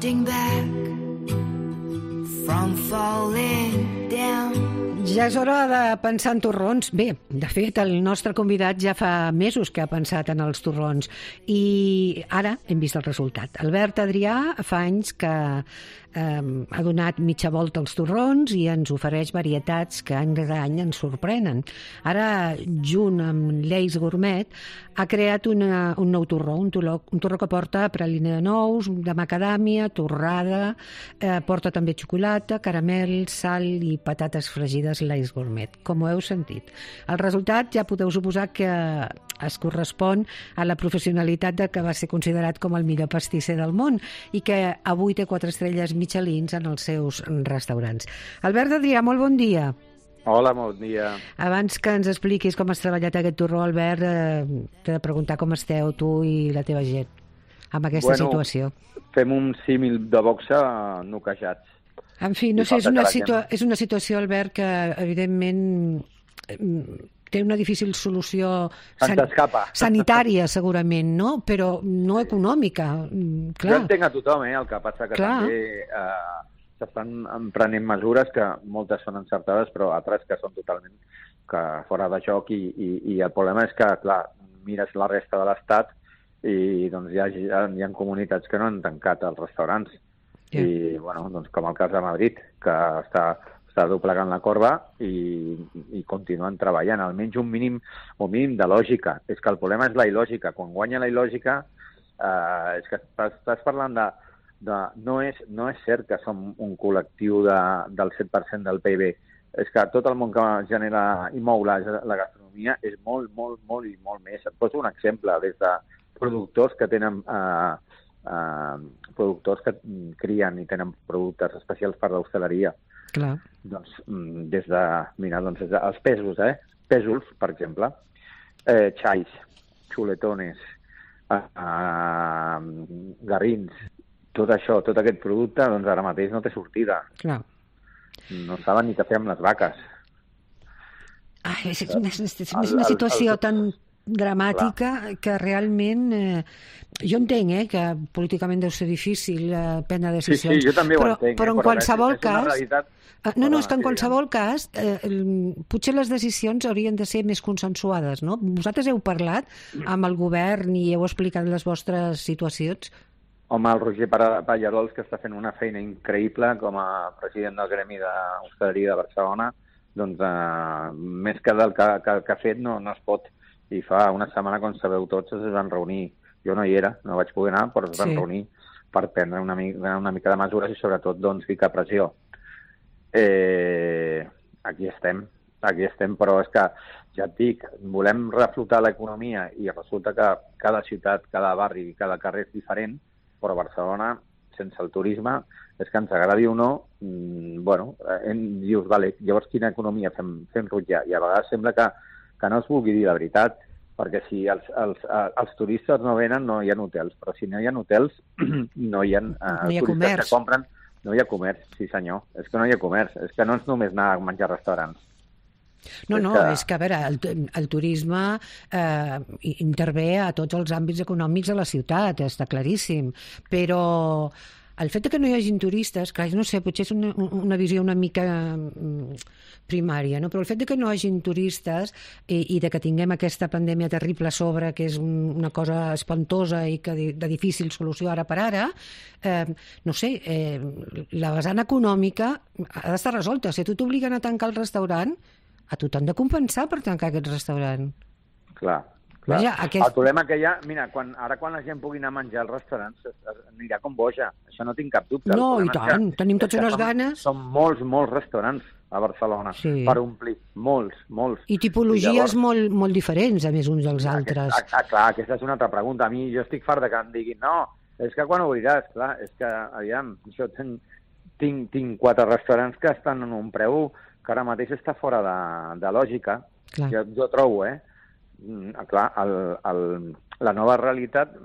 drifting back from falling down. Ja és hora de pensar en torrons. Bé, de fet, el nostre convidat ja fa mesos que ha pensat en els torrons i ara hem vist el resultat. Albert Adrià fa anys que ha donat mitja volta als torrons i ens ofereix varietats que any rere any ens sorprenen. Ara, junt amb Lleis Gourmet, ha creat un nou torró, un torró que porta praline de nous, de macadàmia, torrada, porta també xocolata, caramel, sal i patates fregides Lleis Gourmet, com ho heu sentit. El resultat ja podeu suposar que es correspon a la professionalitat de que va ser considerat com el millor pastisser del món i que avui té 4 estrelles Michelin en els seus restaurants. Albert Adrià, molt bon dia. Hola, bon dia. Abans que ens expliquis com has treballat aquest torró, Albert, t'he de preguntar com esteu tu i la teva gent amb aquesta situació. Fem un símil de boxa noquejats. En fi, no sé, és una situació, Albert, que evidentment té una difícil solució sanitària, segurament, no? Però no econòmica. Clar. Jo entenc a tothom, el que passa que també s'estan emprenent mesures que moltes són encertades, però altres que són totalment fora de joc i el problema és que, clar, mires la resta de l'Estat i doncs hi ha comunitats que no han tancat els restaurants. I, bueno, doncs com el cas de Madrid, que està doblegant la corba i continuen treballant. Almenys un mínim de lògica. És que el problema és la il·lògica. Quan guanya la il·lògica, és que estàs parlant de no és cert que som un col·lectiu del 7% del PIB. És que tot el món que genera i mou la gastronomia és molt, molt, molt i molt més. Et poso un exemple, des de productors que tenen productors que crien i tenen productes especials per l'hostaleria. Clar. Doncs des de, els pèsols, pèsols, per exemple, xais, xuletones, garrins, tot això, tot aquest producte, doncs ara mateix no té sortida. Clar. No saben ni què fer amb les vaques. És una situació tan dramàtica que realment jo entenc que políticament deu ser difícil prendre decisions. Sí, jo també ho entenc. Però en qualsevol cas... és que en qualsevol cas potser les decisions haurien de ser més consensuades, no? Vosaltres heu parlat amb el govern i heu explicat les vostres situacions? Home, el Roger Pallarols, que està fent una feina increïble com a president del Gremi d'Hostaleria de Barcelona, doncs més que del que ha fet no es pot. I fa una setmana, quan sabeu tots, es van reunir. Jo no hi era, no vaig poder anar, però es van reunir per prendre una mica de mesures i sobretot doncs ficar pressió. Aquí estem, però és que, ja et dic, volem reflotar l'economia i resulta que cada ciutat, cada barri i cada carrer és diferent, però Barcelona, sense el turisme, és que ens agradi o no, dius, vale, llavors quina economia fem rutllar? I a vegades sembla que no es vulgui dir la veritat, perquè si els turistes no venen, no hi ha hotels, però si no hi ha hotels, no hi ha turistes comerç. Que compren, no hi ha comerç, sí senyor, és que no hi ha comerç, és que no és només anar a menjar a restaurants. És que a veure, el turisme intervé a tots els àmbits econòmics de la ciutat, està claríssim, però el fet que no hi hagin turistes, clar, no sé, potser és una visió una mica primària, no? Però el fet que no hi hagin turistes i de que tinguem aquesta pandèmia terrible a sobre, que és una cosa espantosa i que de difícil solució ara per ara, no sé, la vessant econòmica ha d'estar resolta. Si tu t'obliguen a tancar el restaurant, a tu t'han de compensar per tancar aquest restaurant. Clar. Vaja, El problema que hi ha, mira, quan la gent pugui anar a menjar als restaurants anirà com boja, això no tinc cap dubte. No, i tant, tenim tots unes ganes. Són molts restaurants a Barcelona per omplir, molts. I tipologies molt diferents, a més, uns dels altres. Clar, aquesta és una altra pregunta. A mi jo estic fart de que em diguin, no, és que quan obriràs, clar, és que, aviam, jo tinc 4 restaurants que estan en un preu que ara mateix està fora de lògica. Jo trobo, clar, la nova realitat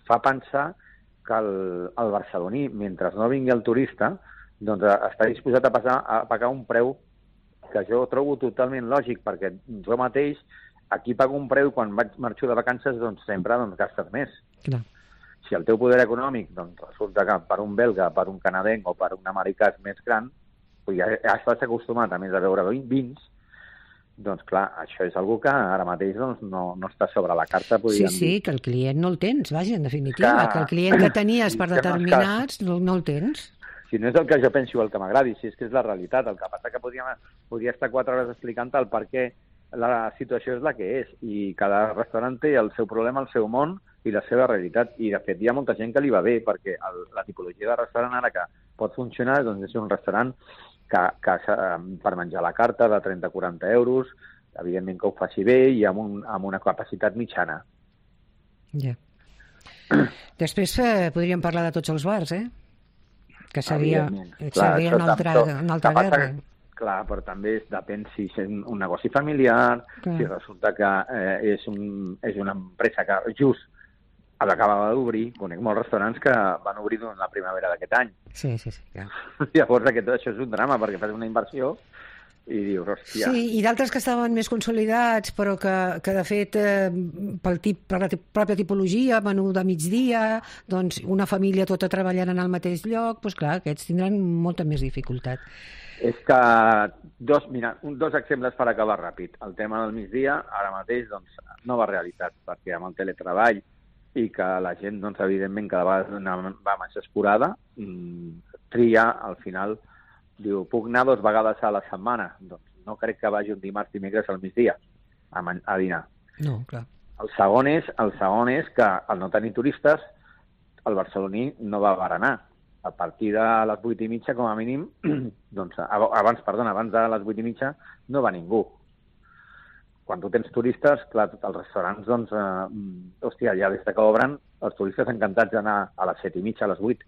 fa pensar que el barceloní, mentre no vingui el turista, doncs està disposat a pagar un preu que jo trobo totalment lògic, perquè jo mateix aquí pago un preu i quan marxo de vacances doncs sempre gastes més. Clar. Si el teu poder econòmic doncs, resulta que per un belga, per un canadenc o per un americà és més gran, ja estàs acostumat a més a veure vins, doncs clar, això és algo que ara mateix doncs, no està sobre la carta, podríem dir. Sí, que el client no el tens, vaja, en definitiva, que el client que tenies per determinats no el tens. Si no és el que jo penso o el que m'agradi, si és que és la realitat. El que passa que podria estar 4 hores explicant el per què la situació és la que és, i cada restaurant té el seu problema, el seu món i la seva realitat. I, de fet, hi ha molta gent que li va bé, perquè la tipologia de restaurant ara que pot funcionar doncs, és un restaurant que per menjar la carta de 30-40 euros, evidentment que ho faci bé i amb una capacitat mitjana. Ja. Després podríem parlar de tots els bars, que seria una altra guerra. Clar, però també depèn si és un negoci familiar, si resulta que és una empresa que just acabava d'obrir. Conec molts restaurants que van obrir durant la primavera d'aquest any. Sí, clar. Llavors això és un drama, perquè fas una inversió i dius, hòstia... Sí, i d'altres que estaven més consolidats, però que de fet, per la pròpia tipologia, menú de migdia, doncs una família tota treballant en el mateix lloc, doncs clar, aquests tindran molta més dificultat. És que dos exemples per acabar ràpid. El tema del migdia, ara mateix, doncs, nova realitat, perquè amb el teletreball i que la gent, doncs, evidentment, cada vegada va més escurada, tria, al final, diu, puc anar 2 vegades a la setmana? Doncs no crec que vagi un dimarts, dimecres al migdia a dinar. No, clar. El segon és que al no tenir turistes, el barceloní no va berenar. A partir de les 8:30, com a mínim, doncs, abans de les 8:30 no va ningú. Quan tu tens turistes, clar, els restaurants, doncs, hòstia, ja des que obren, els turistes encantats d'anar a les 7:30, a les 8.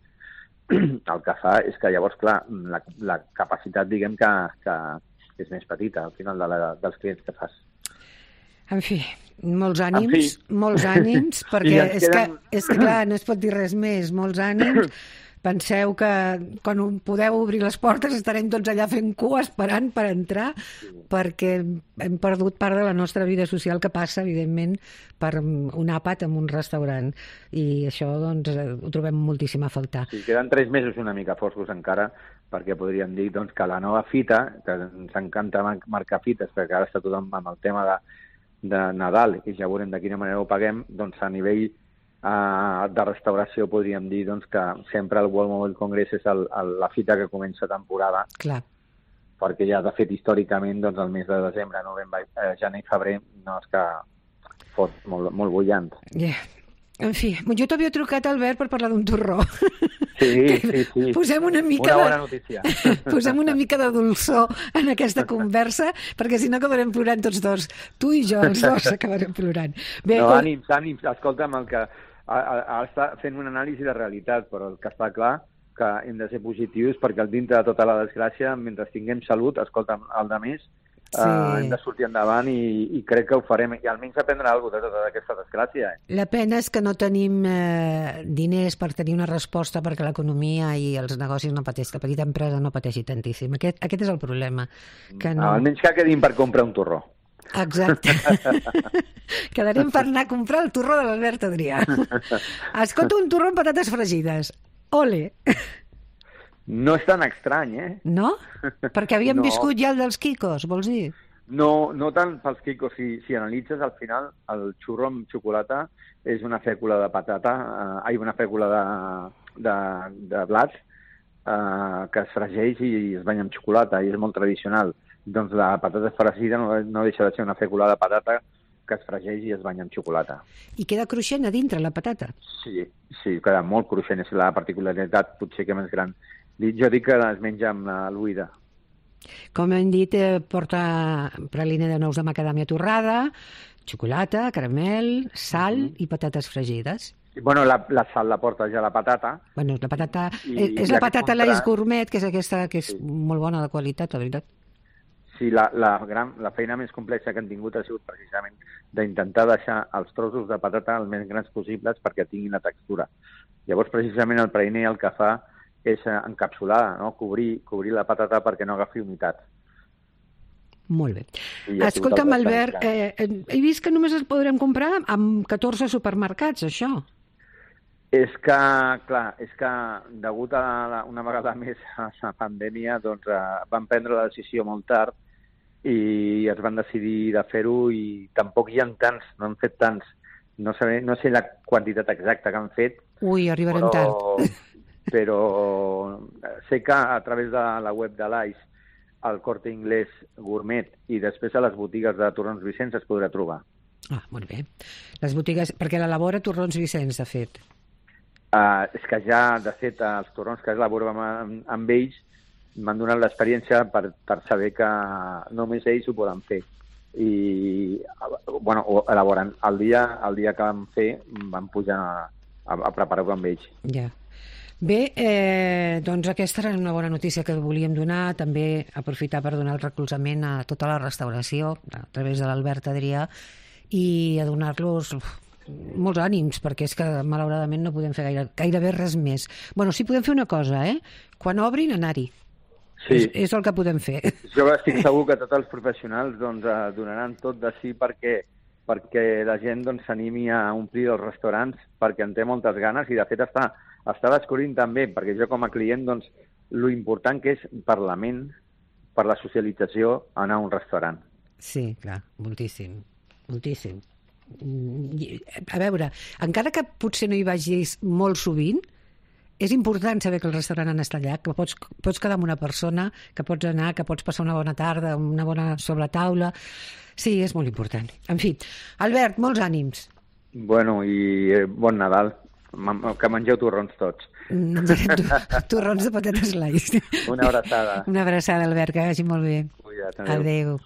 El que fa és que llavors, clar, la capacitat, diguem, que és més petita al final dels clients que fas. En fi, molts ànims, perquè és que, clar, no es pot dir res més, molts ànims. Penseu que quan podeu obrir les portes estarem tots allà fent cua esperant per entrar, perquè hem perdut part de la nostra vida social que passa, evidentment, per un àpat en un restaurant. I això, doncs, ho trobem moltíssim a faltar. Sí, queden 3 mesos una mica foscos encara, perquè podríem dir doncs, que la nova fita, que ens encanta marcar fites, perquè ara està tothom amb el tema de Nadal, i ja veurem de quina manera ho paguem, doncs a nivell de restauració podríem dir doncs, que sempre el World Mobile Congress és la fita que comença temporada. Clar. Perquè ja, de fet, històricament, doncs, el mes de desembre, novembre, gener i febrer no és que fos molt bullant. Yeah. En fi, jo t'havia trucat, Albert, per parlar d'un torró. Sí. Posem una bona notícia. Posem una mica de dolçor en aquesta conversa, perquè si no acabarem plorant tots dos. Tu i jo, els dos, acabarem plorant. Bé, no, ànims. Escolta'm, el que ara està fent una anàlisi de realitat, però el que està clar que hem de ser positius, perquè dintre de tota la desgràcia, mentre tinguem salut, escolta'm, el de més, hem de sortir endavant i crec que ho farem, i almenys aprendre alguna cosa de tota aquesta desgràcia. La pena és que no tenim diners per tenir una resposta perquè l'economia i els negocis no pateixin, la petita empresa no pateixi tantíssim. Aquest és el problema. Que no... Almenys que quedin per comprar un torró. Exacte. Quedarem per anar a comprar el torró de l'Albert Adrià. Escolta, un torró amb patates fregides. Ole! No és tan estrany, No? Perquè havíem viscut ja el dels Kikos, vols dir? No tant pels Kikos. Si analitzes, al final, el xurro amb xocolata és una fècula de patata, una fècula de blat que es fregeix i es banya amb xocolata, i és molt tradicional. Doncs la patata fregida no deixa de ser una fècula de patata que es fregeix i es banya amb xocolata. I queda cruixent a dintre, la patata? Sí, queda molt cruixent. És la particularitat potser que més gran. Jo dic que es menja amb l'oïda. Com hem dit, porta praline de nous de macadàmia torrada, xocolata, caramel, sal i patates fregides. Bueno, la sal la porta ja la patata. Bueno, la patata... És la patata Lays Gourmet, que és aquesta que és molt bona de qualitat, la veritat. Sí, la feina més complexa que han tingut ha sigut precisament d'intentar deixar els trossos de patata el més grans possibles perquè tinguin la textura. Llavors, precisament, el praline el que fa és encapsular, no? Cobrir la patata perquè no agafi humitat. Molt bé. Escolta'm, Albert, he vist que només es podrem comprar amb 14 supermercats, això. És que, clar, degut a una vegada més a la pandèmia, doncs van prendre la decisió molt tard i es van decidir de fer-ho i tampoc hi ha tants, no han fet tants. No sé la quantitat exacta que han fet. Ui, arribarem tard. Però sé que a través de la web de l'AIS, al Corte Inglés Gourmet i després a les botigues de Torrons Vicenç es podrà trobar. Ah, molt bé. Les botigues, perquè l'elabora Torrons Vicenç, de fet. És que ja, de fet, els torrons que elaborem amb ells m'han donat l'experiència per saber que només ells ho poden fer. I, bueno, ho elaboren. El dia que vam fer, vam pujar a preparar-ho amb ells. Ja. Bé, doncs aquesta era una bona notícia que volíem donar, també aprofitar per donar el recolzament a tota la restauració a través de l'Albert Adrià i a donar-los molts ànims, perquè és que malauradament no podem fer gairebé res més. Bueno, sí podem fer una cosa, quan obrin, anar-hi. Sí. És el que podem fer. Jo estic segur que tots els professionals doncs, donaran tot de si perquè la gent doncs, s'animi a omplir els restaurants, perquè en té moltes ganes i de fet està descobrint també, perquè jo com a client, doncs, lo important que és per la ment, per la socialització, anar a un restaurant. Sí, clar, moltíssim, moltíssim. A veure, encara que potser no hi vagis molt sovint, és important saber que el restaurant ha estat allà, que pots quedar amb una persona, que pots anar, que pots passar una bona tarda, una bona sobretaula. Sí, és molt important. En fi, Albert, molts ànims. Bueno, i bon Nadal. Que mengeu torrons tots. Torrons de patates laies. Una abraçada. Una abraçada, Albert, que vagi molt bé. Cuida't, adéu.